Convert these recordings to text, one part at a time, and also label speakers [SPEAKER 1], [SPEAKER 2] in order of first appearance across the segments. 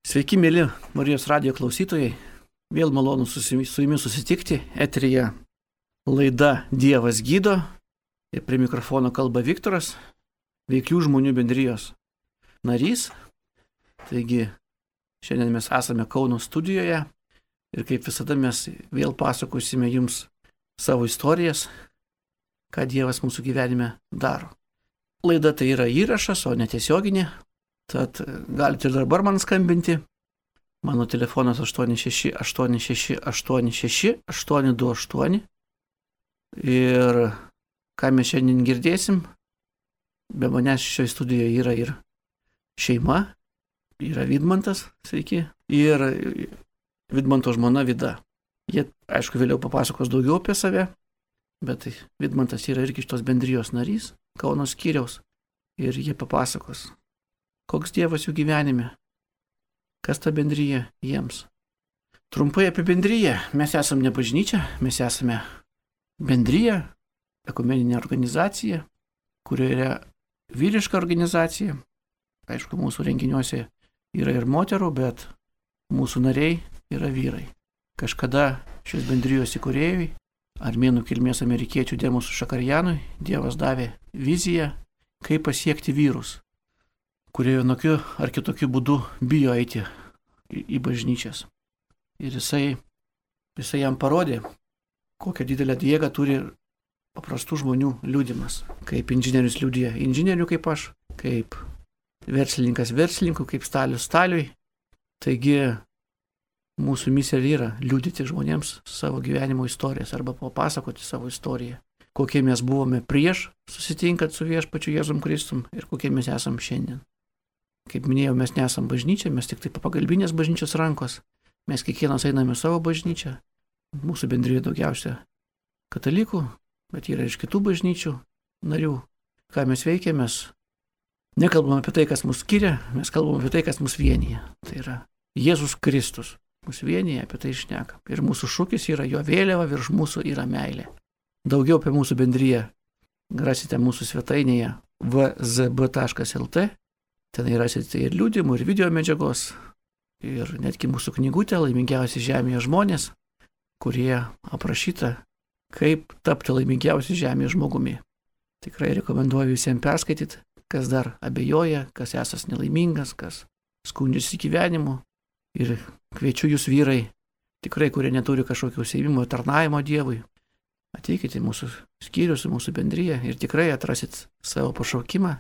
[SPEAKER 1] Sveiki, mėly Marijos radijo klausytojai. Vėl malonu su jumis susitikti. Eteryje laida Dievas gydo. Ir prie mikrofono kalba Viktoras, Veiklių žmonių bendrijos narys. Taigi, šiandien mes esame Kauno studijoje ir kaip visada mes vėl pasakosime jums savo istorijas, ką Dievas mūsų gyvenime daro. Laida tai yra įrašas, o ne tiesioginė. Tad galite ir dabar man skambinti. Mano telefonas 86 86 86 828. Ir ką mes šiandien girdėsim, be manęs šioje studijoje yra ir šeima, yra Vidmantas, sveiki, ir Vidmanto žmona Vida. Jie, aišku, vėliau papasakos daugiau apie save, bet Vidmantas yra irgi šitos bendrijos narys, Kauno skyriaus, ir jie papasakos, koks Dievas jų gyvenime, kas ta bendryja jiems. Trumpai apie bendryją. Mes esame ne bažnyčia, mes esame bendryja, ekumeninė organizacija, kurioje yra vyriška organizacija. Aišku, mūsų renginiuose yra ir moterų, bet mūsų nariai yra vyrai. Kažkada šios bendrijos įkūrėjui, armėnų kilmės amerikiečių Demusui Šakarjanui, Dievas davė viziją, kaip pasiekti vyrus, kurie vienokiu ar kitokiu būdu bijo eiti į bažnyčias. Ir jisai jam parodė, kokią didelę jėgą turi paprastų žmonių liudimas. Kaip inžinierius liudija inžinierių kaip aš, kaip verslininkas verslininkų, kaip stalius staliui. Taigi mūsų misija yra liudyti žmonėms savo gyvenimo istorijas arba papasakoti savo istoriją. Kokie mes buvome prieš susitinkant su viešpačiu Jėzum Kristum ir kokie mes esam šiandien. Kaip minėjau, mes nesam bažnyčia, mes tik tai pagalbinės bažnyčios rankos. Mes kiekvienas einame savo bažnyčią. Mūsų bendrijoje daugiausia katalikų, bet yra iš kitų bažnyčių narių. Ką mes veikiame, mes nekalbame apie tai, kas mus skiria, mes kalbame apie tai, kas mus vienyje. Tai yra Jėzus Kristus. Mus vienyje, apie tai šneka. Ir mūsų šūkis yra jo vėliava, virš mūsų yra meilė. Daugiau apie mūsų bendriją rasite mūsų svetainėje vzb.lt. Ten rasite ir liudymų, ir video medžiagos, ir netgi mūsų knygutė Laimingiausi žemėje žmonės, kurie aprašyta, kaip tapti laimingiausiu žemėje žmogumi. Tikrai rekomenduoju visiems perskaityti, kas dar abejoja, kas esas nelaimingas, kas skundžiasi gyvenimu. Ir kviečiu jūs vyrai, tikrai, kurie neturi kažkokio užsiėmimo tarnavimo Dievui. Ateikite į mūsų skyrius, į mūsų bendriją ir tikrai atrasit savo pašaukimą,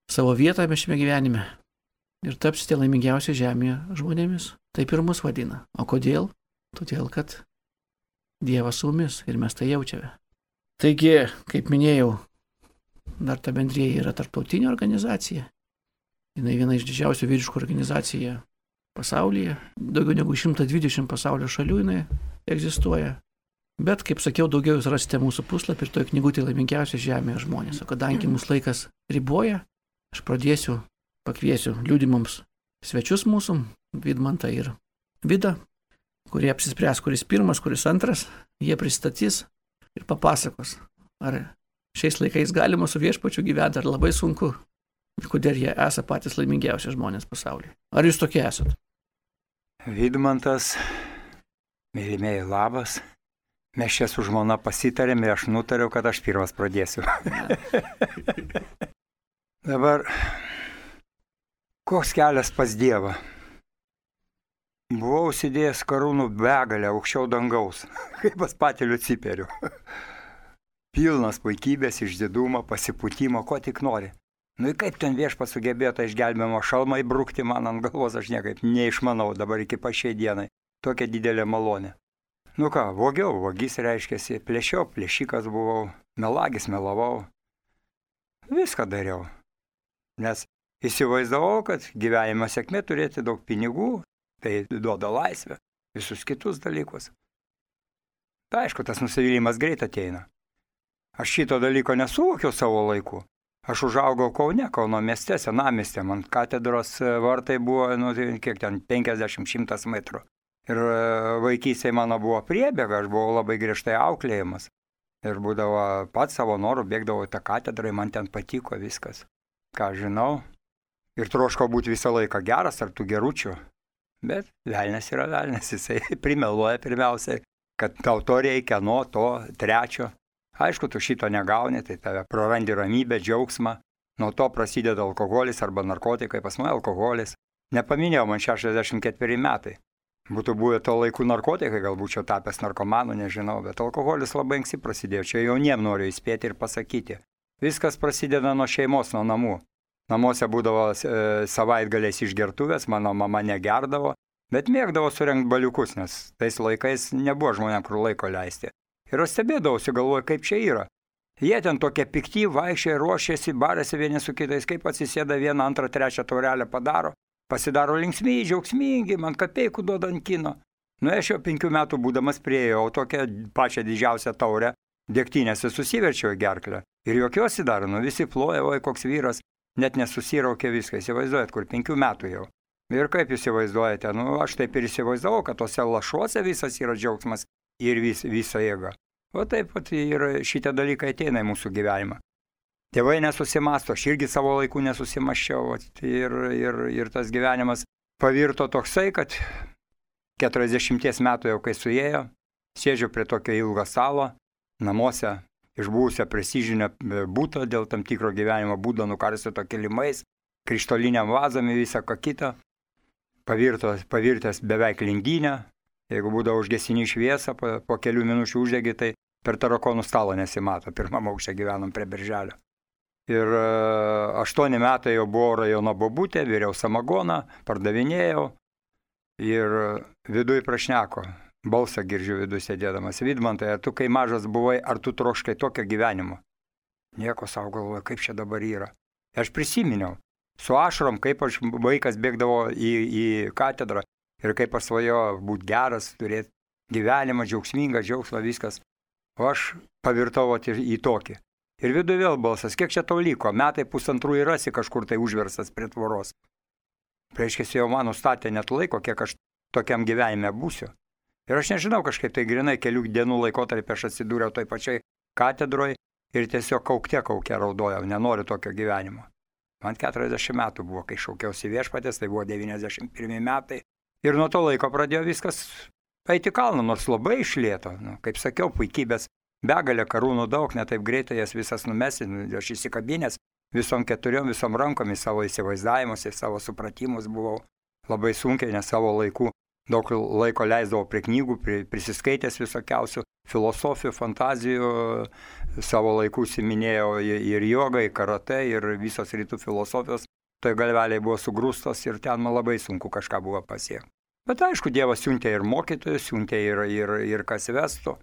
[SPEAKER 1] savo vietą šiame gyvenime ir tapsite laimingiausi žemėje žmonėmis. Taip ir mus vadina. O kodėl? Todėl, kad Dievas su mumis ir mes tai jaučiame. Taigi, kaip minėjau, dar ta bendrija yra tarptautinė organizacija. Jinai viena iš didžiausių vyriškų organizacijų pasaulyje. Daugiau negu 120 pasaulio šalių jinai egzistuoja. Bet, kaip sakiau, daugiau jūs rasite mūsų puslapį ir toje knygutėje Laimingiausi žemėje žmonės. O kadangi mūsų laikas riboja, aš pakviesiu liudymams svečius mūsų, Vidmantą ir Vidą, kurie apsispręs, kuris pirmas, kuris antras, jie pristatys ir papasakos, ar šiais laikais galima su viešpačiu gyventi, ar labai sunku, ir kodėl jie esą patys laimingiausi žmonės pasaulyje. Ar jūs tokie esat?
[SPEAKER 2] Vidmantas, mylimieji, labas. Mes čia su žmona pasitarėm ir aš nutariau, kad aš pirmas pradėsiu. Dabar, koks kelias pas Dievą? Buvau užsidėjęs karūnų begalę aukščiau dangaus, kaip pas patį Liuciferių. Pilnas puikybės, išdidumo, pasipūtimo, ko tik nori. Nu ir kaip ten viešpats sugebėjo tą išgelbėjimo šalmą įbrukti man ant galvos, aš niekaip neišmanau dabar iki pašiai dienai. Tokia didelė malonė. Nu ką, vogiau, vagis reiškiasi, plėšiau, plėšikas buvau, melagis melavau. Viską dariau. Nes įsivaizdavau, kad gyvenimo sėkmė turėti daug pinigų, tai duoda laisvę, visus kitus dalykus. Tai aišku, tas nusivylimas greit ateina. Aš šito dalyko nesuvokiau savo laiku. Aš užaugau Kaune, Kauno mieste, senamieste, man katedros vartai buvo, kiek ten, 50-100 metrų. Ir vaikystėje mano buvo priebėga, aš buvau labai griežtai auklėjimas. Ir būdavo pats savo norų, bėgdavo į tą katedrą, man ten patiko viskas. Ką žinau. Ir troškau būti visą laiką geras tarp tų geručių. Bet velnias yra velnias, jisai primeluoja pirmiausiai, kad tau to reikia, nuo to, trečio. Aišku, tu šito negauni, tai tave prarandi ramybę, džiaugsmą. Nuo to prasideda alkoholis arba narkotikai, pas mane alkoholis. Nepaminėjau, man 64 metai. Būtų buvę to laikų narkotikai, gal būčiau tapęs narkomanu, nežinau, bet alkoholis labai anksti prasidėjo. Čia jauniem noriu įspėti ir pasakyti. Viskas prasideda nuo šeimos, nuo namų. Namuose būdavo savaitgaliais išgertuvės, mano mama negerdavo, bet mėgdavo surengti baliukus, nes tais laikais nebuvo žmonėm, kur laiko leisti. Ir aš stebėdavausi, galvoju, kaip čia yra. Jie ten tokie pikti, vaikščiai, ruošiasi, barėsi vieni su kitais, kaip atsisėda vieną, antrą, trečią taurelę padaro. Pasidaro linksmi, džiaugsmingi, man kapeikų duoda ant kino. Nu, aš jau 5 metų būdamas priejau tokią pačią didžiausią taurę, degtinėse susiverčiau į gerklę. Ir jokiuosi dar, nu visi ploja, oi koks vyras, net nesusiraukė viską, įsivaizduojat, kur 5 metų jau. Ir kaip jūs įsivaizduojate, nu aš taip ir įsivaizdavau, kad tose lašuose visas yra džiaugsmas ir visa jėga. O taip pat ir šitie dalykai ateina į mūsų gyvenimą. Tėvai nesusimasto, aš irgi savo laikų nesusimaščiau ir tas gyvenimas pavirto toksai, kad 40 metų jau kai suėjo, sėdžiu prie tokio ilgo stalo, namuose iš buvusio prestižinio būto dėl tam tikro gyvenimo būdo nukarstyto kilimais, krištoliniam vazami visą ką kitą, pavirtęs beveik lindynę, jeigu būdavo užgesini šviesą, po kelių minučių uždegi, tai per tarakonų stalą nesimato, pirmam aukšte gyvenom prie Birželio. Ir 8 metai jau buvo rajono bobutė, viriau samagoną, pardavinėjau ir viduj prašneko, balsą girdžiu viduj sėdėdamas. Vidmantai, ar tu kai mažas buvai, ar tu troškai tokio gyvenimo? Nieko savo galvoju, kaip čia dabar yra. Aš prisiminiau, su ašarom, kaip aš vaikas bėgdavo į katedrą ir kaip aš svajojau būti geras, turėti gyvenimą, džiaugsmingą, džiaugsmą, viskas. O aš pavirtau į tokį. Ir viduje vėl balsas, kiek čia tau liko, metai 1,5 ir rasi kažkur tai užversas prie tvoros. Reiškia, jau man nustatė net laiko, kiek aš tokiam gyvenime būsiu. Ir aš nežinau, kažkaip tai grinai kelių dienų laikotarpį aš atsidūriau toj pačiai katedroje ir tiesiog kaukte raudojau, nenoriu tokio gyvenimo. Man 40 metų buvo, kai šaukiausi viešpatės, tai buvo 91 metai. Ir nuo to laiko pradėjo viskas eiti kalną, nors labai išlėto, kaip sakiau, puikybės. Begalė karūnų daug, netaip greitai jas visas numesi, aš įsikabinęs visom 4, visom rankomis savo įsivaizdavimus ir savo supratimus buvau labai sunkiai, nes savo laikų daug laiko leisdavau prie knygų, prisiskaitęs visokiausių filosofijų, fantazijų, savo laikų siminėjau ir jogai, karate, ir visos rytų filosofijos, tai galveliai buvo sugrūstos ir ten man labai sunku kažką buvo pasiekti. Bet aišku, Dievas siuntė ir mokytojus, siuntė ir kas vestų.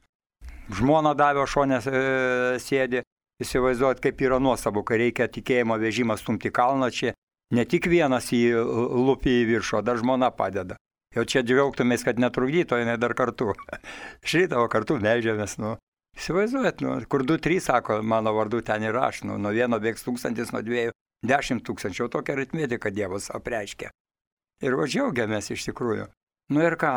[SPEAKER 2] Žmona davė, šonė sėdi, įsivaizduot, kaip yra nuostabu, kai reikia tikėjimo vežimą stumti kalną, čia ne tik vienas jį lupi į viršų, o dar žmona padeda. Jau čia džiaugtumės, kad netrukdyto, jinai dar kartu. Šitavo kartu meldžiamės, Įsivaizduot, kur 2-3, sako, mano vardu ten ir aš, nuo 1 bėgs 1000, nuo 2 10 000, jau tokia aritmetika Dievas apreiškia. Ir džiaugiamės iš tikrųjų. Ir ką?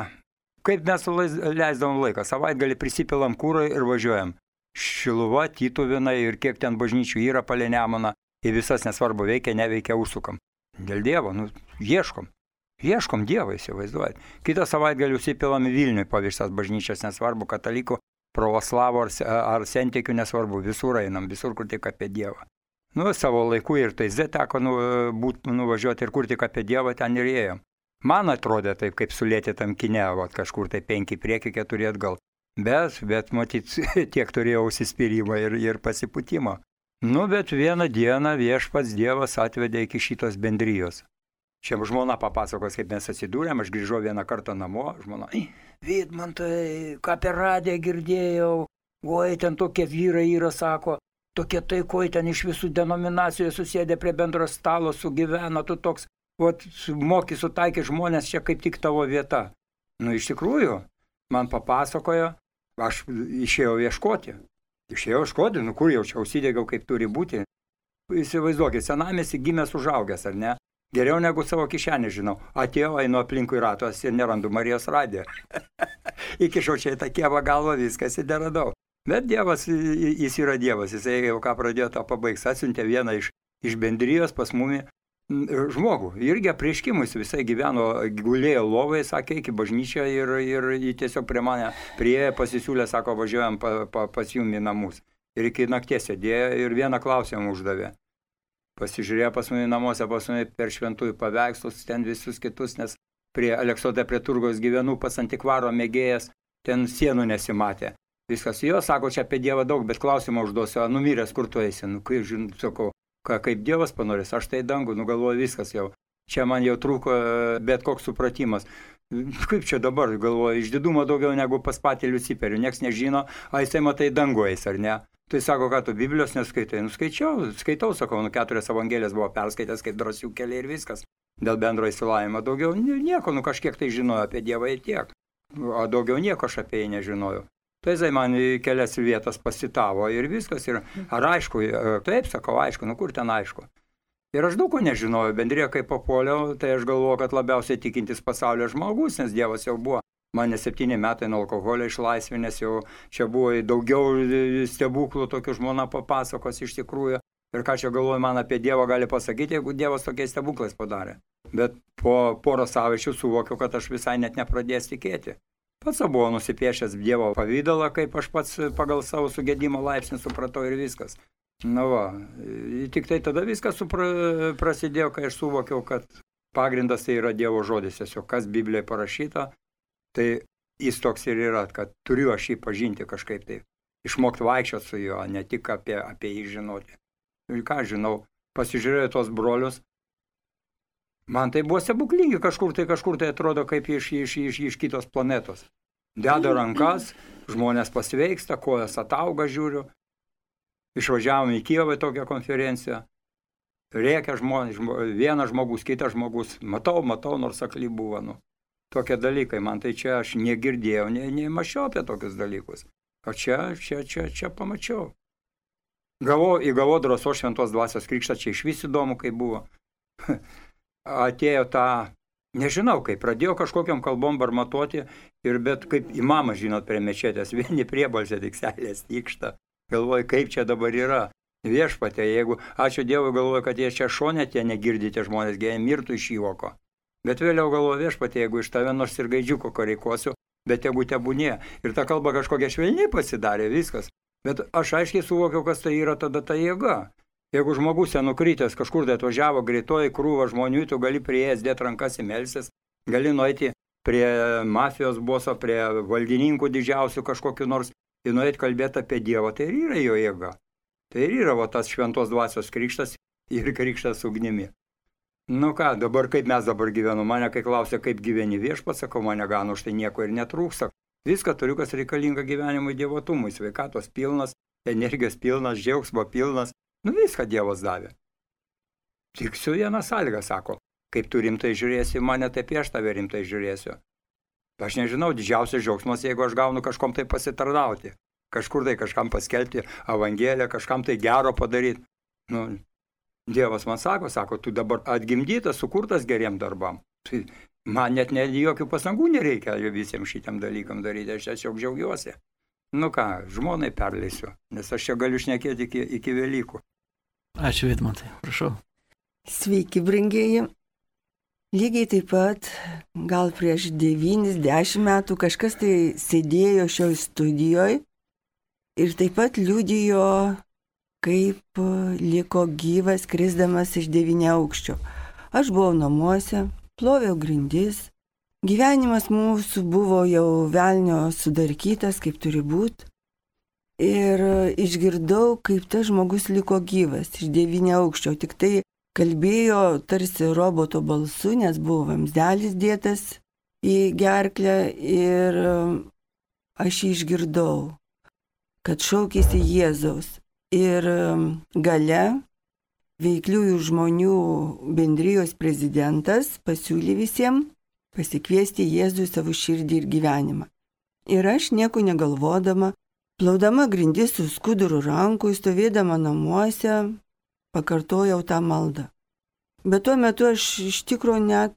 [SPEAKER 2] Kaip mes leisdavom laiką, savaitgalį prisipilam kūrą ir važiuojam. Šiluva, Tytuvėnai ir kiek ten bažnyčių yra palei Nemuną, į visas nesvarbu veikia, neveikia, užsukam. Dėl Dievo, ieškom Dievą, įsivaizduojat. Kitą savaitgalį užsipilam į Vilnių po visas bažnyčias, nesvarbu, katalikų, pravoslavų ar sentikių, nesvarbu, visur einam, visur kur tik apie Dievą. Savo laiku ir Taize teko nuvažiuoti ir kur tik apie Dievą ten ir ėjom. Man atrodė taip, kaip sulėtytam kine, kažkur tai 5 priekį, 4 atgal. Bet matyt, tiek turėjau užsispyrimą ir pasipūtimą. Bet vieną dieną viešpats Dievas atvedė iki šitos bendrijos. Čia žmona papasakos, kaip mes atsidūrėm, aš grįžau vieną kartą namo, žmona, Vidmantai, ką per radiją girdėjau, oi, ten tokie vyrai yra, sako, tokie taikoj ten iš visų denominacijų susėdė prie bendro stalo, sugyvena, tu toks, moki sutaikė žmonės, čia kaip tik tavo vieta. Iš tikrųjų, man papasakojo, aš išėjau ieškoti, kur jau čia užsidegiau, kaip turi būti. Įsivaizduokit, senamiesty gimęs užaugęs, ar ne? Geriau negu savo kišenį žinau. Atėjau, einu aplinkui ratos ir nerandu Marijos radiją. Įkišau čia į tą kievą galvą, viskas ir neradau. Bet Dievas, jis yra Dievas, jisai jau ką pradėjo, tą pabaigs. Atsiuntė vieną iš bendrijos pas mumi žmogų. Irgi apreiškimus visai gyveno, gulėjo lovai, sakė, iki bažnyčią ir jį tiesiog prie mane prieė, pasisiūlė, sako, važiuojam pas jum į namus. Ir iki nakties sėdėjo ir vieną klausimą uždavė. Pasižiūrėjo pas mane namuose, pas mane per šventųjų paveikslus, ten visus kitus, nes prie Aleksote, prie Turgaus gyvenu, pas antikvaro mėgėjas, ten sienų nesimatė. Viskas, jo, sako, čia apie Dievą daug, bet klausimą užduosiu, numiręs, kur tu eisi? Kai žinau, sakau, kaip Dievas panorės, aš tai dangų, galvoju, viskas jau. Čia man jau trūko bet koks supratimas. Kaip čia dabar, galvoju, išdidumo daugiau negu pas patį Liuciferį, nieks nežino, jisai matai dangų eis, ar ne? Tai sako, ką tu Biblijos neskaitai? Skaitau, sakau, 4 evangelijas buvo perskaitęs kaip drąsių keliai ir viskas. Dėl bendro išsilavinimo daugiau nieko, kažkiek tai žinojau apie Dievą ir tiek. O daugiau nieko aš apie jį nežinojau. Tai jisai man į kelias vietas pasitavo ir viskas. Ir, ar aišku, taip, sakau, aišku, kur ten aišku. Ir aš daug ko nežinojau, bendrėje kaip papuoliau, tai aš galvoju, kad labiausiai tikintis pasaulio žmogus, nes Dievas jau buvo. Mane 7 metai nuo alkoholio išlaisvinęs, jau čia buvo daugiau stebuklų, tokių žmona papasakos iš tikrųjų. Ir ką čia galvoju, man apie Dievą gali pasakyti, jeigu Dievas tokiais stebuklais padarė. Bet po porą savaičių suvokiau, kad aš visai net nepradėjęs tikėti. Pats buvau nusipiešęs Dievo pavydalą, kaip aš pats pagal savo sugedimo laipsnį supratau ir viskas. Na va, tik tai tada viskas prasidėjo, kai aš suvokiau, kad pagrindas tai yra Dievo žodis, tiesiog kas Biblijoje parašyta, tai jis toks ir yra, kad turiu aš jį pažinti kažkaip tai, išmokti vaikščioti su juo, ne tik apie jį žinoti. Ir ką žinau, pasižiūrėjau tos brolius, man tai buvo stebuklingi, kažkur tai atrodo kaip iš kitos planetos. Deda rankas, žmonės pasveiksta, kojas atauga, žiūriu. Išvažiavom į Kijevą tokią konferenciją. Rėkia žmonės, vienas žmogus, kitas žmogus. Matau, nors akli buvo. Tokie dalykai, man tai čia aš negirdėjau, nemačiau apie tokius dalykus. O čia pamačiau. Įgavau drąsos šventos dvasios krikštą, čia iš vis įdomu, kaip buvo. Atėjo nežinau kaip, pradėjo kažkokiam kalbom barmatuoti, bet kaip imamas, žinot, prie mečetės, vieni priebalsė tik seilės tykšta. Galvoju, kaip čia dabar yra. Viešpatie, jeigu, ačiū Dievui, galvoju, kad jie čia šone tie negirdite žmonės, jie mirtų iš juoko. Bet vėliau galvoju, viešpatie, jeigu iš tave nors ir gaidžiuko koreikuosiu, bet jeigu tebūnė. Ir ta kalba kažkokia švelniai pasidarė, viskas. Bet aš aiškiai suvokiau, kas tai yra tada ta jėga. Jeigu žmogus nukritęs kažkur tai atvažiavo greitoji krūva žmonių, tu gali prieėjęs dėti rankas į melsis, gali nueiti prie mafijos boso, prie valdininkų didžiausių kažkokiu nors ir nueiti kalbėti apie Dievą, tai ir yra jo jėga. Tai ir yra tas šventos dvasios krikštas ir krikštas ugnimi. Dabar kaip mes dabar gyvenu, mane kai klausia, kaip gyveni Viešpats, sakau, mane gano, štai nieko ir netrūksta. Viską turiu, kas reikalinga gyvenimui, dievotumui, sveikatos pilnas, energijos pilnas, džiaugsmo pilnas. Viską Dievas davė. Tik su viena sąlyga, sako, kaip tu rimtai žiūrėsi, mane taip aš tave rimtai žiūrėsiu. Aš nežinau, didžiausias džiaugsmas, jeigu aš gaunu kažkom tai pasitarnauti, kažkur tai kažkam paskelbti evangeliją, kažkam tai gero padaryti. Dievas man sako, tu dabar atgimdytas, sukurtas geriem darbam. Tai man net jokių pasangų nereikia visiems šitiem dalykam daryti, aš tiesiog džiaugiuosi. Žmonai perleisiu, nes aš čia galiu šnekėti iki Velykų.
[SPEAKER 1] Ačiū, Vidmantai, prašau.
[SPEAKER 3] Sveiki, brangieji. Lygiai taip pat, gal prieš 9-10 metų kažkas tai sėdėjo šioj studijoje ir taip pat liudijo, kaip liko gyvas krisdamas iš 9 aukščio. Aš buvau namuose, ploviau grindis. Gyvenimas mūsų buvo jau velnio sudarkytas, kaip turi būti. Ir išgirdau, kaip tas žmogus liko gyvas iš 9 aukščio. Tik tai kalbėjo tarsi roboto balsu, nes buvo vamzdelis dėtas į gerklę ir aš jį išgirdau, kad šaukėsi Jėzaus. Ir gale veikliųjų žmonių bendrijos prezidentas pasiūlė visiems pasikviesti Jėzų į savo širdį ir gyvenimą. Ir aš nieko negalvodama, plaudama grindis su skuduru rankui, stovėdama namuose, pakartojau tą maldą. Bet tuo metu aš iš tikrųjų net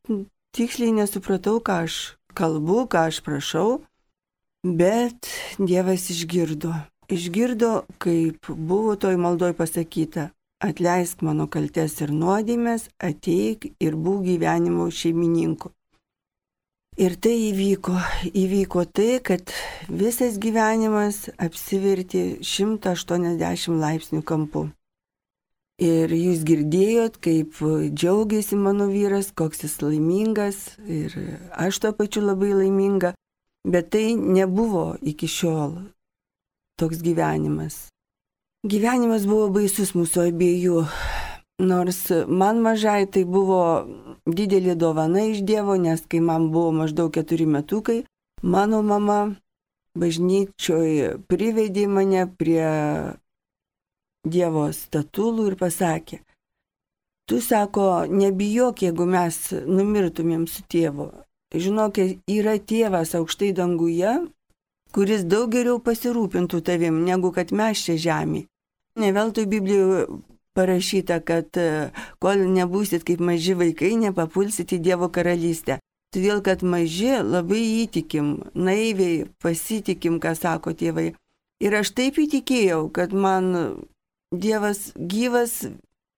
[SPEAKER 3] tiksliai nesupratau, ką aš kalbu, ką aš prašau, bet Dievas išgirdo. Išgirdo, kaip buvo toj maldoj pasakyta, atleisk mano kaltes ir nuodėmės, ateik ir būk gyvenimo šeimininku. Ir tai įvyko tai, kad visas gyvenimas apsivertė 180 laipsnių kampu. Ir jūs girdėjot, kaip džiaugiasi mano vyras, koks jis laimingas, ir aš tuo pačiu labai laiminga, bet tai nebuvo iki šiol toks gyvenimas. Gyvenimas buvo baisus mūsų abiejų, nors man mažai tai buvo didelė dovana iš Dievo, nes kai man buvo maždaug 4 metukai, mano mama bažnyčioje privedė mane prie Dievo statulų ir pasakė, tu, sako, nebijok, jeigu mes numirtumėm su tėvu. Žinok, yra tėvas aukštai danguje, kuris daug geriau pasirūpintų tavim, negu kad mes čia žemė. Ne veltui Biblijoje parašyta, kad kol nebūsit kaip maži vaikai, nepapulsit į Dievo karalystę. Todėl, kad maži labai įtikim, naiviai pasitikim, ką sako tėvai. Ir aš taip įtikėjau, kad man Dievas gyvas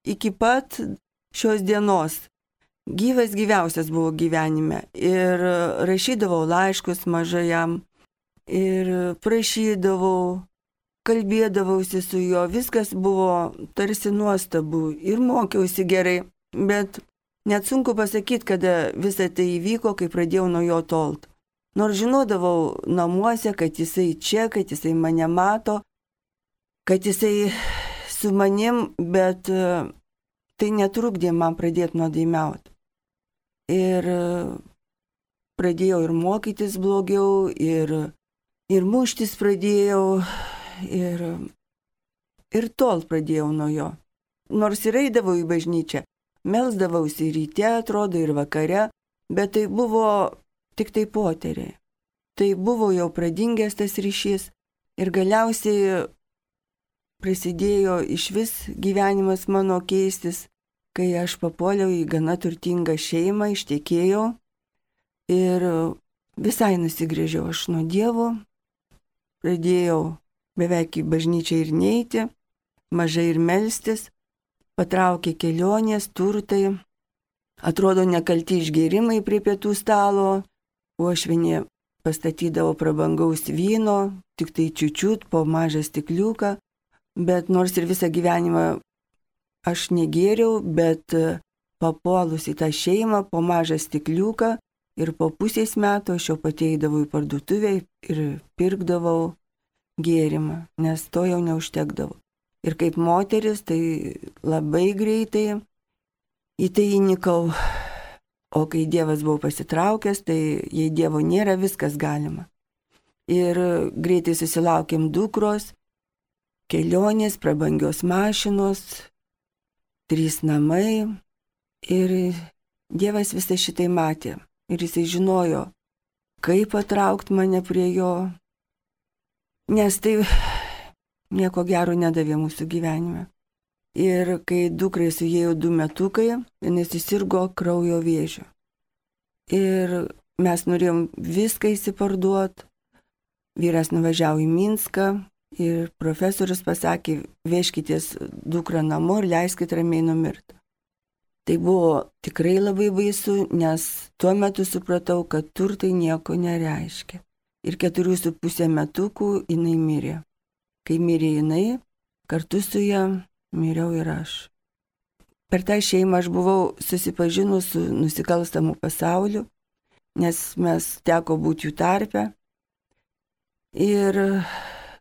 [SPEAKER 3] iki pat šios dienos. Gyvas gyviausias buvo gyvenime. Ir rašydavau laiškus mažajam ir prašydavau, kalbėdavausi su juo, viskas buvo tarsi nuostabu ir mokiausi gerai, bet net sunku pasakyti, kada visą tai įvyko, kai pradėjau nuo jo tolt. Nors žinodavau namuose, kad jisai čia, kad jisai mane mato, kad jisai su manim, bet tai netrukdė man pradėti nuodėmiauti. Ir pradėjau ir mokytis blogiau, ir muštis pradėjau, ir tol pradėjau nuo jo. Nors ir eidavau į bažnyčią, melsdavausi ryte, atrodo, ir vakare, bet tai buvo tik tai poteriai. Tai buvo jau pradingęs tas ryšys ir galiausiai prasidėjo iš vis gyvenimas mano keistis, kai aš papuoliau į gana turtingą šeimą, ištekėjau ir visai nusigręžiau aš nuo Dievo, pradėjau beveik į bažnyčią ir neiti, mažai ir melstis, patraukė kelionės, turtai, atrodo nekalti išgėrimai prie pietų stalo, uošvienė pastatydavo prabangaus vyno, tik tai čiučiut po mažą stikliuką, bet nors ir visą gyvenimą aš negėriau, bet papuolus į tą šeimą po mažą stikliuką ir po pusės metų aš jau pateidavau į parduotuvę ir pirkdavau gėrimą, nes to jau neužtekdavo. Ir kaip moteris, tai labai greitai į tai įnikau, o kai Dievas buvo pasitraukęs, tai jei Dievo nėra, viskas galima. Ir greitai susilaukėm dukros, kelionės, prabangios mašinos, 3 namai ir Dievas visą šitai matė ir jisai žinojo, kaip patraukti mane prie jo, nes tai nieko gero nedavė mūsų gyvenime. Ir kai dukrai suėjo 2 metukai, jinai susirgo kraujo vėžiu. Ir mes norėjom viską įsiparduoti, vyras nuvažiavo į Minską, ir profesorius pasakė, vežkitės dukrą namo ir leiskit ramiai numirti. Tai buvo tikrai labai baisu, nes tuo metu supratau, kad turtai nieko nereiškia. Ir 4,5 metukų jinai mirė. Kai mirė jinai, kartu su ją miriau ir aš. Per tą šeimą aš buvau susipažinus su nusikalstamu pasauliu, nes mes teko būti jų tarpe. Ir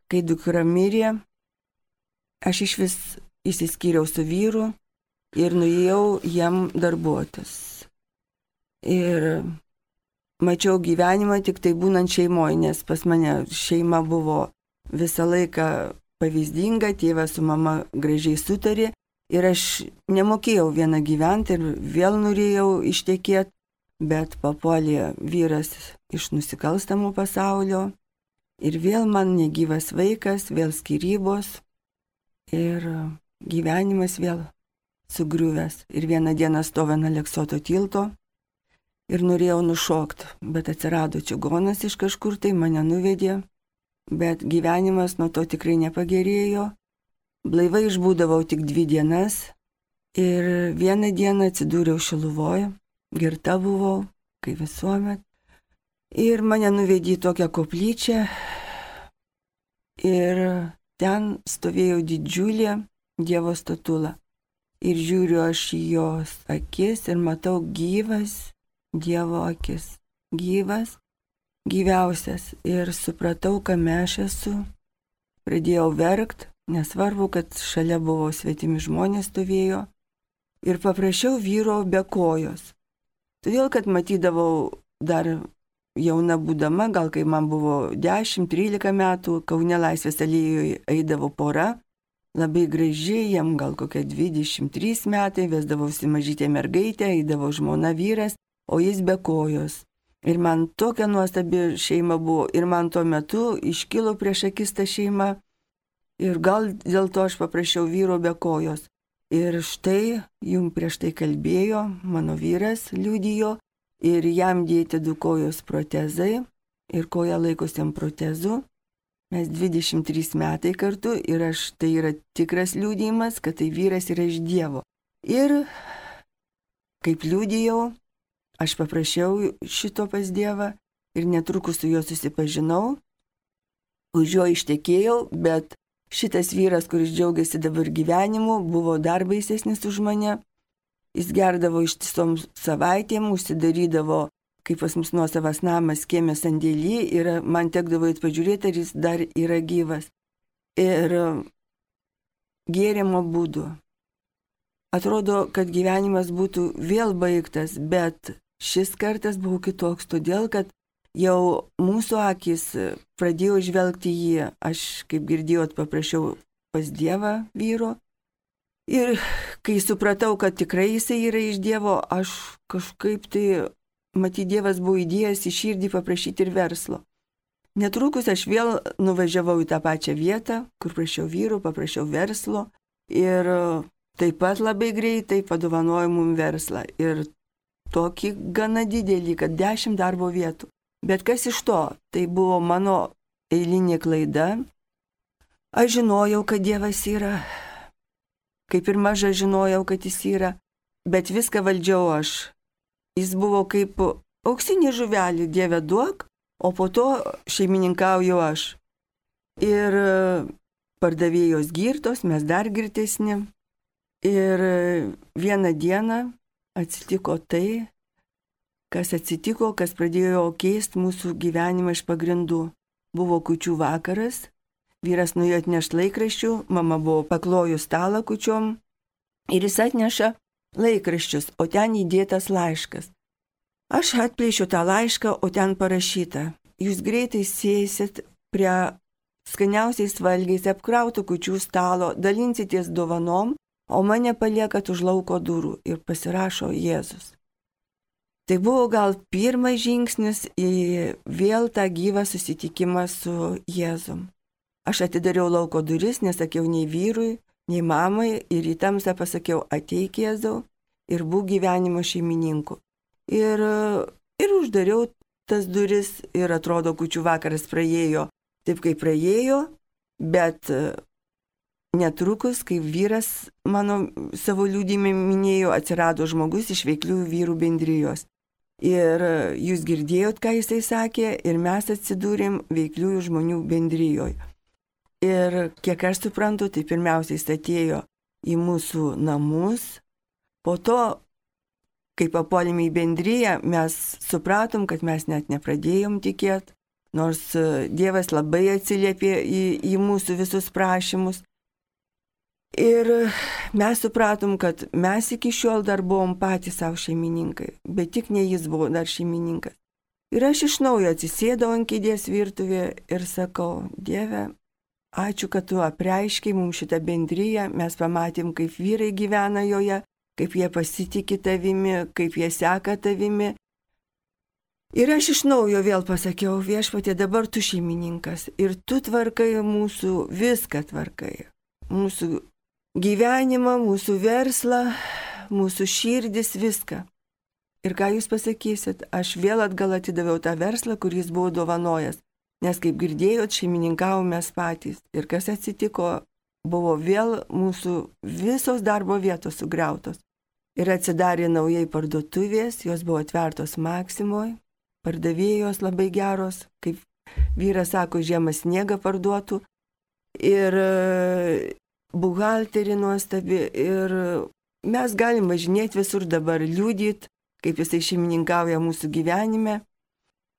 [SPEAKER 3] kai dukra mirė, aš iš vis išsiskyriau su vyru ir nuėjau jam darbuotis. Ir mačiau gyvenimą tik tai būnant šeimoje, nes pas mane šeima buvo visą laiką pavyzdinga, tėvas su mama gražiai sutarė ir aš nemokėjau vieną gyventi ir vėl norėjau ištekėti, bet papuolė vyras iš nusikalstamų pasaulio. Ir vėl man negyvas vaikas, vėl skyrybos ir gyvenimas vėl sugriuvęs. Ir vieną dieną stoviu ant Aleksoto tilto ir norėjau nušokti, bet atsirado čigonas iš kažkur, tai mane nuvedė, bet gyvenimas nuo to tikrai nepagerėjo. Blaivai išbūdavau tik 2 dienas ir vieną dieną atsidūriau Šiluvoje, girta buvau, kaip visuomet. Ir mane nuvedė į tokią koplyčią ir ten stovėjo didžiulė Dievo statula. Ir žiūriu aš į jos akis ir matau gyvas Dievo akis. Gyvas, gyviausias. Ir supratau, kame aš esu. Pradėjau verkt, nesvarbu, kad šalia buvo svetimi žmonės stovėjo. Ir paprašiau vyro be kojos. Todėl, kad matydavau dar jauna būdama, gal kai man buvo 10-13 metų, Kaune Laisvės alėjoje eidavo pora. Labai graži, jam gal kokie 23 metai, vesdavausi mažytė mergaitė, eidavo žmona vyras, o jis be kojos. Ir man tokia nuostabi šeima buvo, ir man tuo metu iškilo prieš akis ta šeima, ir gal dėl to aš paprašiau vyro be kojos. Ir štai, jums prieš tai kalbėjo, mano vyras liudijo, ir jam dėti 2 kojos protezai, ir koja laikosi ant protezų. Mes 23 metai kartu ir tai yra tikras liudijimas, kad tai vyras yra iš Dievo. Ir kaip liudijau, aš paprašiau šito pas Dievą ir netrukus su juo susipažinau, už jo ištekėjau, bet šitas vyras, kuris džiaugiasi dabar gyvenimu, buvo dar baisesnis už mane. Jis gerdavo ištisom savaitėm, užsidarydavo, kaip pas mus nuosavas namas, kieme sandėly, ir man tekdavo pažiūrėti, ar jis dar yra gyvas. Ir gėrimo būdu. Atrodo, kad gyvenimas būtų vėl baigtas, bet šis kartas buvo kitoks, todėl, kad jau mūsų akis pradėjo žvelgti jį. Aš, kaip girdėjot, paprašiau pas Dievą vyro. Ir kai supratau, kad tikrai jisai yra iš Dievo, aš kažkaip tai matyt, Dievas buvo įdėjęs į širdį paprašyti ir verslo. Netrukus aš vėl nuvažiavau į tą pačią vietą, kur prašiau vyrų, paprašiau verslo ir taip pat labai greitai padovanojo mums verslą. Ir tokį gana didelį, kad 10 darbo vietų. Bet kas iš to? Tai buvo mano eilinė klaida. Aš žinojau, kad Dievas yra. Kaip ir maža žinojau, kad jis yra. Bet viską valdžiau aš. Jis buvo kaip auksinė žuvelė, Dieve duok, o po to šeimininkauju aš. Ir pardavėjos girtos, mes dar girtesni. Ir vieną dieną atsitiko tai, kas atsitiko, kas pradėjo keisti mūsų gyvenimą iš pagrindų. Buvo kūčių vakaras, vyras nuėjo atnešti laikraščių, mama buvo paklojus stalą kūčiom ir jis atneša laikraščius, o ten įdėtas laiškas. Aš atplėšiu tą laišką, o ten parašyta: jūs greitai sėsit prie skaniausiais valgiais apkrautų kūčių stalo, dalinsitės dovanom, o mane paliekat už lauko durų, ir pasirašo Jėzus. Tai buvo gal pirmas žingsnis į vėl tą gyvą susitikimą su Jėzum. Aš atidariau lauko duris, nesakiau nei vyrui, nei mamai, ir į tamsą pasakiau: ateik Jėzau ir būk gyvenimo šeimininku. Ir uždariau tas duris ir atrodo, kūčių vakaras praėjo taip, kaip praėjo, bet netrukus, kaip vyras mano savo liudijime minėjo, atsirado žmogus iš veikliųjų vyrų bendrijos. Ir jūs girdėjot, ką jisai sakė, ir mes atsidūrėm veikliųjų žmonių bendrijoje. Ir kiek aš suprantu, tai pirmiausiai jis atėjo į mūsų namus. Po to, kai papuolėme į bendriją, mes supratom, kad mes net nepradėjom tikėti, nors Dievas labai atsiliepė į mūsų visus prašymus. Ir mes supratom, kad mes iki šiol dar buvom patys savo šeimininkai, bet tik ne jis buvo dar šeimininkas. Ir aš iš naujo atsisėdau ant kėdės virtuvėje ir sakau: Dieve, ačiū, kad tu apreiškiai mums šitą bendriją, mes pamatėm, kaip vyrai gyvena joje, kaip jie pasitikė tavimi, kaip jie seka tavimi. Ir aš iš naujo vėl pasakiau: Viešpatie, dabar tu šeimininkas ir tu tvarkai mūsų, viską tvarkai. Mūsų gyvenimą, mūsų verslą, mūsų širdis, viską. Ir ką jūs pasakysit, aš vėl atgal atidaviau tą verslą, kuris buvo dovanojęs, nes kaip girdėjot, šeimininkavom mes patys. Ir kas atsitiko, buvo vėl mūsų visos darbo vietos sugriautos. Ir atsidarė naujai parduotuvės, jos buvo atvertos Maksimoje, pardavėjos labai geros, kaip vyras sako, žiemą sniegą parduotų. Ir buhalterį nuostabi. Ir mes galim važinėti visur dabar, liūdyti, kaip jisai šeimininkauja mūsų gyvenime.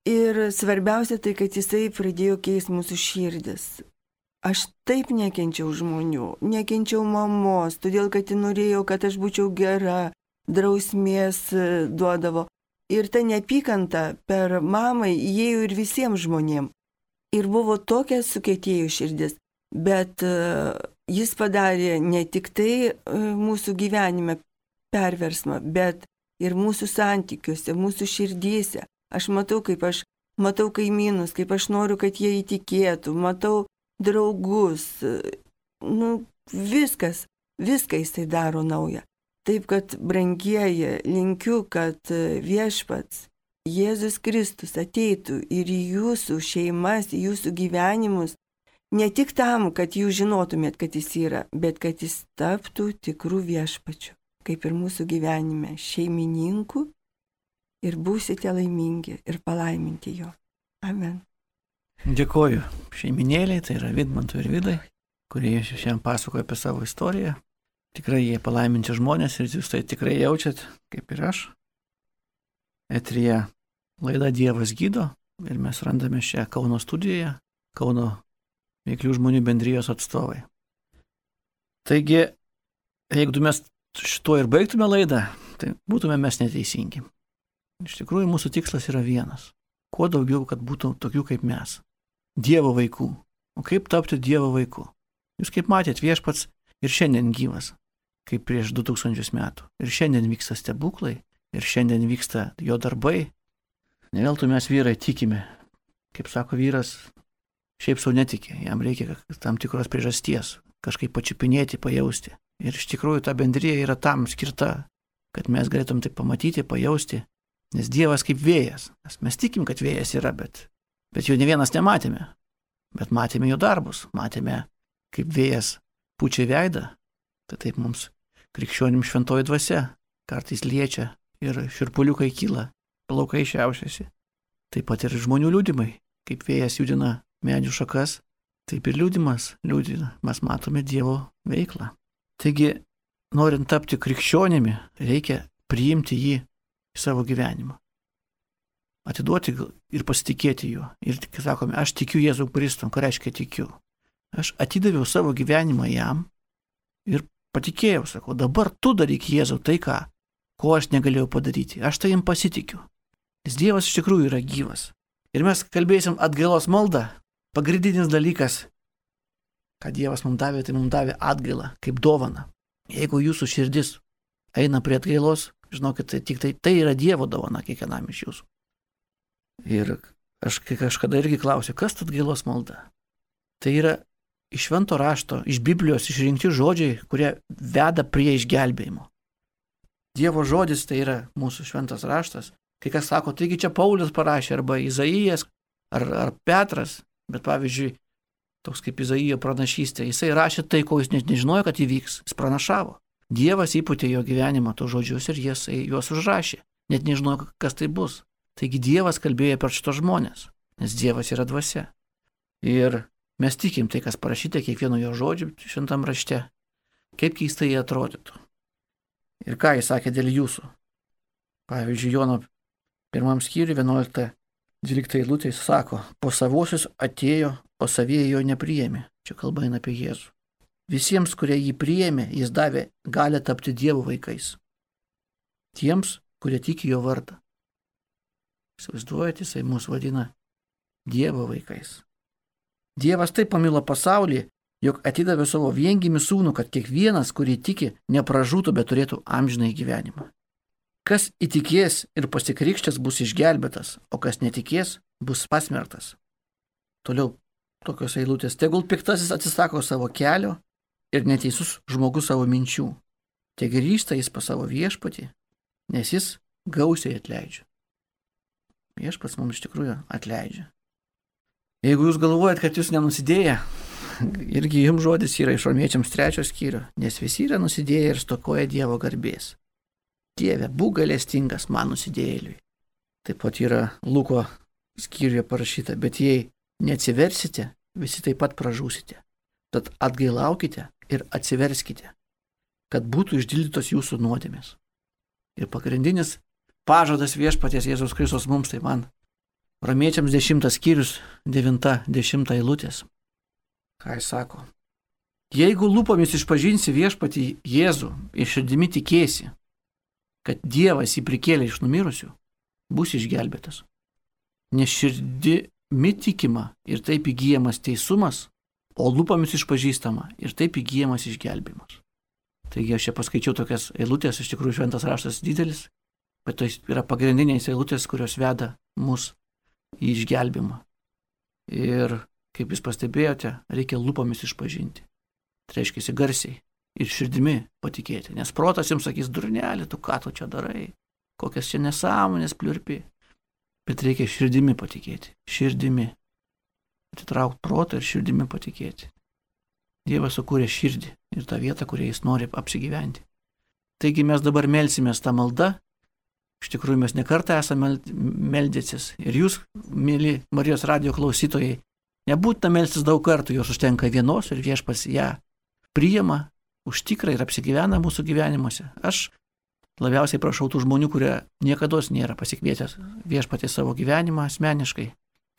[SPEAKER 3] Ir svarbiausia tai, kad jisai pradėjo keisti mūsų širdis. Aš taip nekenčiau žmonių, nekenčiau mamos, todėl kad ji norėjo, kad aš būčiau gera, drausmės duodavo. Ir ta neapykanta per mamai įėjo ir visiems žmonėms. Ir buvo tokia sukietėjų širdis, bet jis padarė ne tik tai mūsų gyvenime perversmą, bet ir mūsų santykiuose, mūsų širdyse. Aš matau kaimynus, kaip aš noriu, kad jie įtikėtų, matau draugus, viskas jisai daro naują. Taip, kad brangieji, linkiu, kad viešpats Jėzus Kristus ateitų ir į jūsų šeimas, į jūsų gyvenimus, ne tik tam, kad jūs žinotumėt, kad jis yra, bet kad jis taptų tikrų viešpačių, kaip ir mūsų gyvenime, šeimininku ir būsite laimingi ir palaiminti jo. Amen.
[SPEAKER 1] Dėkoju šeiminėliai, tai yra Vidmantui ir Vidai, kurie šiandien pasakoja apie savo istoriją. Tikrai jie palaiminti žmonės ir jūs tai tikrai jaučiat, kaip ir aš. Eteryje laida Dievas gydo ir mes randame šią Kauno studijoje, Kauno veiklių žmonių bendrijos atstovai. Taigi, jeigu mes šituo ir baigtume laidą, tai būtume mes neteisingi. Iš tikrųjų, mūsų tikslas yra vienas. Kuo daugiau, kad būtų tokių kaip mes. Dievo vaikų. O kaip tapti Dievo vaiku? Jūs kaip matėt, viešpats ir šiandien gyvas, kaip prieš 2000 metų. Ir šiandien vyksta stebuklai, ir šiandien vyksta jo darbai. Ne veltui mes vyrai tikime. Kaip sako vyras, šiaip sau netiki. Jam reikia tam tikros priežasties, kažkaip pačiupinėti, pajausti. Ir iš tikrųjų ta bendrija yra tam skirta, kad mes galėtum tai pamatyti, pajausti. Nes Dievas kaip vėjas. Mes tikim, kad vėjas yra, bet jo ne vienas nematėme. Bet matėme jo darbus. Matėme, kaip vėjas pučia veidą. Tai taip mums krikščionim šventoji dvasia kartais liečia ir širpuliukai kyla, plaukai šiaušiasi. Taip pat ir žmonių liudimai. Kaip vėjas judina medžių šakas, taip ir liudimas liudina. Mes matome Dievo veiklą. Taigi, norint tapti krikščionimi, reikia priimti jį į savo gyvenimą. Atiduoti ir pasitikėti juo. Ir sakome, aš tikiu Jėzų Kristų. Ką reiškia tikiu? Aš atidaviau savo gyvenimą jam ir patikėjau, sakau, dabar tu daryk Jėzau tai, ko aš negalėjau padaryti. Aš tai jam pasitikiu. Nes Dievas iš tikrųjų yra gyvas. Ir mes kalbėsim atgailos maldą. Pagrindinis dalykas, ką Dievas mums davė, tai mums davė atgailą kaip dovaną. Jeigu jūsų širdis eina prie atgailos, žinokit, tai yra Dievo dovana kiekvienam iš jūsų. Ir aš kažkada irgi klausiu, kas ta atgailos malda? Tai yra iš švento rašto, iš Biblijos išrinkti žodžiai, kurie veda prie išgelbėjimo. Dievo žodis tai yra mūsų šventas raštas. Kai kas sako, taigi čia Paulius parašė, arba Izaijas, ar Petras, bet pavyzdžiui, toks kaip Izaijo pranašystė, jisai rašė tai, ko jis net nežinojo, kad įvyks, jis pranašavo. Dievas įpūtė jo gyvenimą tos žodžius ir jisai juos užrašė, net nežinojo, kas tai bus. Taigi Dievas kalbėjo per šitos žmonės, nes Dievas yra dvasia. Ir mes tikim tai, kas parašyta kiekvieno jo žodžiu šventam rašte, kaip keistai jie atrodytų. Ir ką jis sakė dėl jūsų. Pavyzdžiui, Jono 1 skyriui 11-12 eilutė jis sako, po savuosius atėjo, o savieji jo nepriėmė. Čia kalba eina apie Jėzų. Visiems, kurie jį priėmė, jis davė galią tapti Dievo vaikais. Tiems, kurie tiki jo vardą. Įsivaizduojate, jisai mus vadina Dievo vaikais. Dievas taip pamilo pasaulį, jog atidavė savo viengimį sūnų, kad kiekvienas, kurį tiki, nepražūtų, bet turėtų amžinąjį gyvenimą. Kas įtikės ir pasikrikštęs bus išgelbėtas, o kas netikės, bus pasmerktas. Toliau tokios eilutės. Tegul piktasis atsisako savo kelio ir neteisus žmogus savo minčių. Te grįžta jis pas savo viešpatį, nes jis gausiai atleidžia. Viešpats mums iš tikrųjų atleidžia. Jeigu jūs galvojat, kad jūs nenusidėję, irgi jums žodis yra iš Romiečiams 3 skyrių, nes visi yra nusidėję ir stokoja Dievo garbės. Dieve, būk gailestingas man nusidėjėliui. Taip pat yra Luko skyriuje parašyta, bet jei neatsiversite, visi taip pat pražūsite. Tad atgailaukite ir atsiverskite, kad būtų išdildytos jūsų nuodėmės. Ir pagrindinis pažadas viešpaties Jėzaus Kristus mums, tai man Romiečiams 10 skyrius 9-10 eilutės. Ką jis sako? Jeigu lūpomis išpažinsi viešpatį Jėzų ir širdimi tikėsi, kad Dievas jį prikėlė iš numirusių, bus išgelbėtas. Nes širdimi tikima ir taip įgyjamas teisumas, o lūpomis išpažįstama ir taip įgyjamas išgelbimas. Taigi aš čia paskaičiau tokias eilutės, iš tikrųjų šventas raštas didelis, bet tai yra pagrindinės eilutės, kurios veda mus į išgelbimą. Ir kaip jūs pastebėjote, reikia lūpomis išpažinti. Tai reiškia garsiai ir širdimi patikėti, nes protas jums sakys, durnelė, tu ką tu čia darai, kokias čia nesąmonės pliurpi. Bet reikia širdimi patikėti, širdimi. Atitraukti protą ir širdimi patikėti. Dievas sukūrė širdį ir tą vietą, kurioje jis nori apsigyventi. Taigi mes dabar melsimės tą maldą. Iš tikrųjų mes nekartą esame meldėsis. Ir jūs, mėly Marijos radijo klausytojai, nebūtina melstis daug kartų, jos užtenka vienos ir viešpats ją priima, užtikra ir apsigyvena mūsų gyvenimuose. Aš labiausiai prašau tų žmonių, kurie niekados nėra pasikvietę viešpatį savo gyvenimą asmeniškai,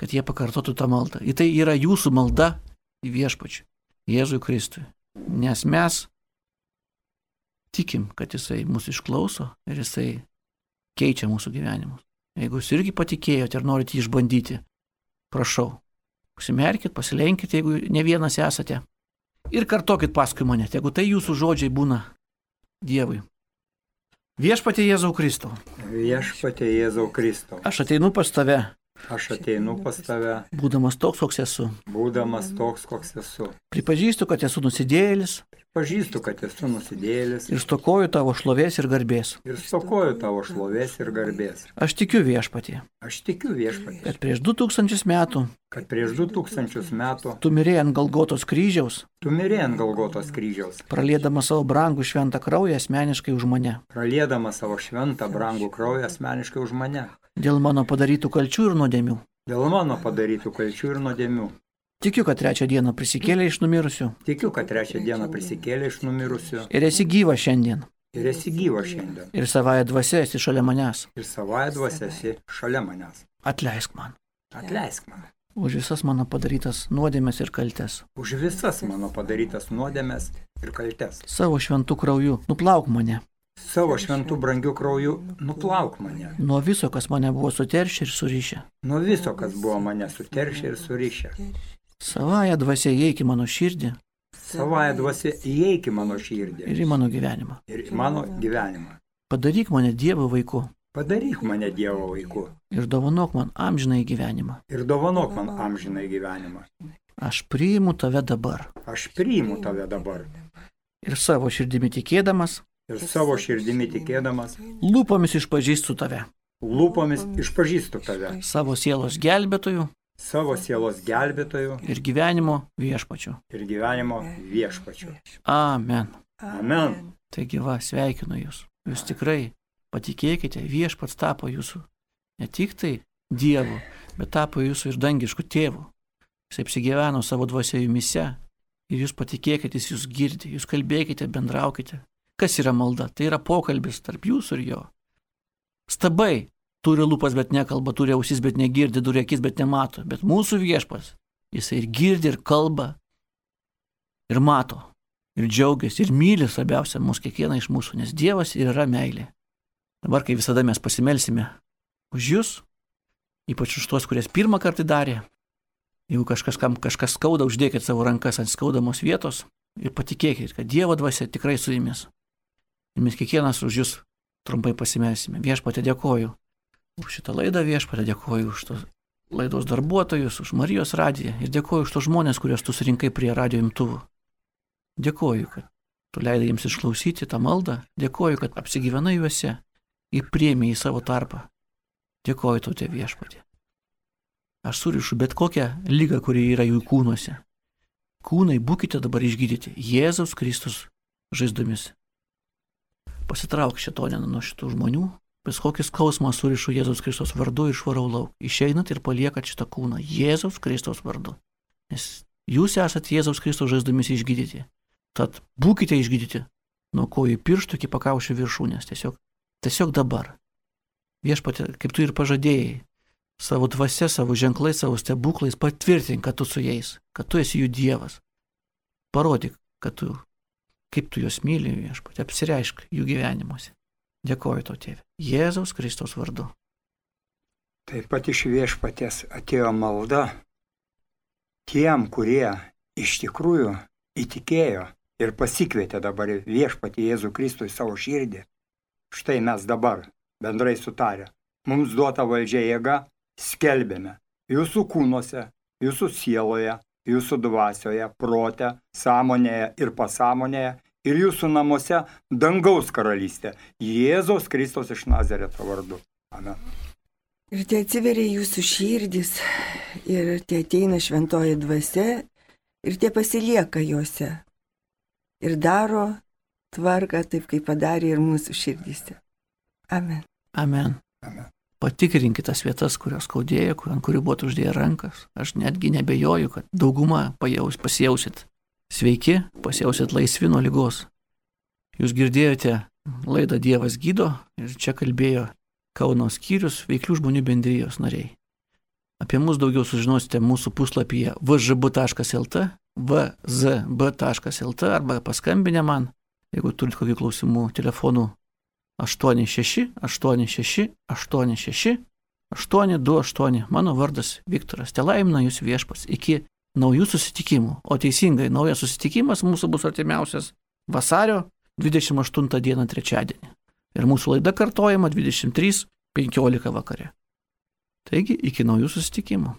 [SPEAKER 1] kad jie pakartotų tą maldą. Ir tai yra jūsų malda į viešpačių, Jėzui Kristui. Nes mes tikim, kad jisai mūsų išklauso ir jisai keičia mūsų gyvenimus. Jeigu jūs irgi patikėjote ir norite jį išbandyti, prašau, užsimerkit, pasilenkit, jeigu ne vienas esate. Ir kartokit paskui mane, jeigu tai jūsų žodžiai būna Dievui. Viešpatie Jėzau Kristau.
[SPEAKER 2] Viešpatie Jėzau Kristau.
[SPEAKER 1] Aš ateinu pas tave.
[SPEAKER 2] Aš ateinu pas tave.
[SPEAKER 1] Būdamas toks, koks esu.
[SPEAKER 2] Būdamas toks, koks esu.
[SPEAKER 1] Pripažįstu, kad esu nusidėjėlis.
[SPEAKER 2] Pažįstu, kad esu nusidėjėlis.
[SPEAKER 1] Ir stokoju tavo šlovės ir garbės.
[SPEAKER 2] Ir stokoju tavo šlovės ir garbės.
[SPEAKER 1] Aš tikiu viešpatie.
[SPEAKER 2] Aš tikiu viešpatie.
[SPEAKER 1] Kad prieš 2000 metų.
[SPEAKER 2] Kad prieš 2000 metų.
[SPEAKER 1] Tu mirėjai ant Golgotos kryžiaus.
[SPEAKER 2] Tu mirėjai ant Golgotos kryžiaus.
[SPEAKER 1] Praliedamas savo brangų šventą kraują asmeniškai už mane.
[SPEAKER 2] Praliedamas savo šventą brangų kraują asmeniškai už mane.
[SPEAKER 1] Dėl mano padarytų kalčių ir nuodėmių.
[SPEAKER 2] Dėl mano padarytų kalčių ir nuodėmių.
[SPEAKER 1] Tikiu, kad 3 dieną prisikėlė iš numirusių.
[SPEAKER 2] Tikiu, kad 3 dieną prisikėlė iš numirusių.
[SPEAKER 1] Ir esi gyva šiandien.
[SPEAKER 2] Ir esi gyva šiandien.
[SPEAKER 1] Ir savąją dvasią esi šalia manęs.
[SPEAKER 2] Ir savąją dvasią esi šalia manęs.
[SPEAKER 1] Atleisk man.
[SPEAKER 2] Atleisk man.
[SPEAKER 1] Už visas mano padarytas nuodėmes ir kaltes.
[SPEAKER 2] Už visas mano padarytas nuodėmes ir kaltes.
[SPEAKER 1] Savo šventų krauju nuplauk mane.
[SPEAKER 2] Savo šventų brangių krauju nuplauk mane.
[SPEAKER 1] Nuo viso, kas mane buvo suteršę ir surišę.
[SPEAKER 2] Nuo viso, kas buvo mane suteršę ir surišę.
[SPEAKER 1] Savąją dvasią įeik į mano širdį.
[SPEAKER 2] Savąją dvasią įeik į mano širdį.
[SPEAKER 1] Ir į mano gyvenimą.
[SPEAKER 2] Ir į mano gyvenimą.
[SPEAKER 1] Padaryk mane Dievo vaiku.
[SPEAKER 2] Padaryk mane Dievo vaiku.
[SPEAKER 1] Ir dovanok man amžinąjį gyvenimą.
[SPEAKER 2] Ir dovanok man amžinąjį gyvenimą.
[SPEAKER 1] Aš priimu tave dabar.
[SPEAKER 2] Aš priimu tave dabar.
[SPEAKER 1] Ir savo širdimi tikėdamas.
[SPEAKER 2] Ir savo širdimi tikėdamas.
[SPEAKER 1] Lūpomis išpažįstu tave.
[SPEAKER 2] Lūpomis išpažįstu tave.
[SPEAKER 1] Savo sielos gelbėtojų.
[SPEAKER 2] Savo sielos gelbėtojų.
[SPEAKER 1] Ir gyvenimo viešpačiu.
[SPEAKER 2] Ir gyvenimo viešpačiu.
[SPEAKER 1] Amen.
[SPEAKER 2] Amen.
[SPEAKER 1] Taigi va, sveikinu jūs. Jūs tikrai patikėkite, viešpats tapo jūsų ne tik tai Dievu, bet tapo jūsų ir dangišku tėvu. Jis apsigyveno savo dvasia jumise ir jūs patikėkite, jis jūs girdi, jūs kalbėkite, bendraukite. Kas yra malda? Tai yra pokalbis tarp jūsų ir jo. Stabai turi lūpas, bet nekalba, turi ausis, bet negirdi, turi akis, bet nemato. Bet mūsų viešpas, jisai ir girdi, ir kalba, ir mato, ir džiaugiasi, ir myli svarbiausia mūsų kiekvieną iš mūsų, nes Dievas ir yra meilė. Dabar, kai visada mes pasimelsime už jūs, ypač už tuos, kurie pirmą kartą darė, jeigu kažkas skauda, uždėkit savo rankas ant skaudamos vietos ir patikėkit, kad Dievo dvasia tikrai su jumis. Ir mes kiekvienas už jūs trumpai pasimelsime. Viešpatie, dėkoju už šitą laidą, viešpatie, dėkoju už tos laidos darbuotojus, už Marijos radiją ir dėkoju už tos žmonės, kuriuos tu surinkai prie radijo imtuvų. Dėkoju, kad tu leidai jiems išklausyti tą maldą, dėkoju, kad apsigyvenai juose ir priėmė į savo tarpą. Dėkoju tau, Tėve viešpatie. Aš surišu bet kokią ligą, kuri yra jų kūnuose. kūnai būkite dabar išgydyti Jėzaus Kristus žaizdomis. Pasitrauk šėtonę nuo šitų žmonių, bet kokį skausmą surišu Jėzaus Kristus vardu ir išvarau lauk. Išeinat ir paliekat šitą kūną Jėzaus Kristus vardu. Nes jūs esate Jėzaus Kristus žaizdomis išgydyti. Tad būkite išgydyti nuo kojų pirštų iki pakaušio viršūnės. Tiesiog dabar. Viešpatie, kaip tu ir pažadėjai, savo dvasia, savo ženklais, savo stebuklais patvirtink, kad tu su jais, kad tu esi jų Dievas. Parodyk, kaip tu juos myli, viešpatie, apsireišk jų gyvenimuose. Dėkoju tau, Tėve. Jėzaus Kristaus vardu.
[SPEAKER 2] Taip pat iš Viešpaties atėjo malda tiem, kurie iš tikrųjų įtikėjo ir pasikvietė dabar Viešpatį Jėzų Kristų į savo širdį. Štai mes dabar, bendrai sutarę, mums duota valdžia jėga, skelbėme jūsų kūnuose, jūsų sieloje, jūsų dvasioje, prote, sąmonėje ir pasąmonėje ir jūsų namuose dangaus karalystė, Jėzaus Kristus iš Nazareto vardu. Amen.
[SPEAKER 3] Ir tai atsiveria jūsų širdis, ir tai ateina šventoji dvasia, ir tai pasilieka juose. Ir daro tvarką taip, kaip padarė ir mūsų širdise. Amen.
[SPEAKER 1] Amen.
[SPEAKER 2] Amen.
[SPEAKER 1] Patikrinkite tas vietas, kurios skaudėjo, ant kurių buvo uždėję rankas. Aš netgi nebejoju, kad daugumą pasijausit sveiki, pasijausit laisvi nuo ligos. Jūs girdėjote laidą Dievas gydo ir čia kalbėjo Kauno skyrius Veiklių žmonių bendrijos nariai. Apie mus daugiau sužinosite mūsų puslapyje vzb.lt, vzb.lt arba paskambinę man, jeigu turit kokių klausimų, telefonu 86 86 86 828. Mano vardas Viktoras. Telaimina jūs Viešpats iki naujų susitikimų. O teisingai, naujas susitikimas mūsų bus artimiausias vasario 28 dieną trečiadienį. Ir mūsų laida kartojama 23:15 vakare. Taigi, iki naujų susitikimų.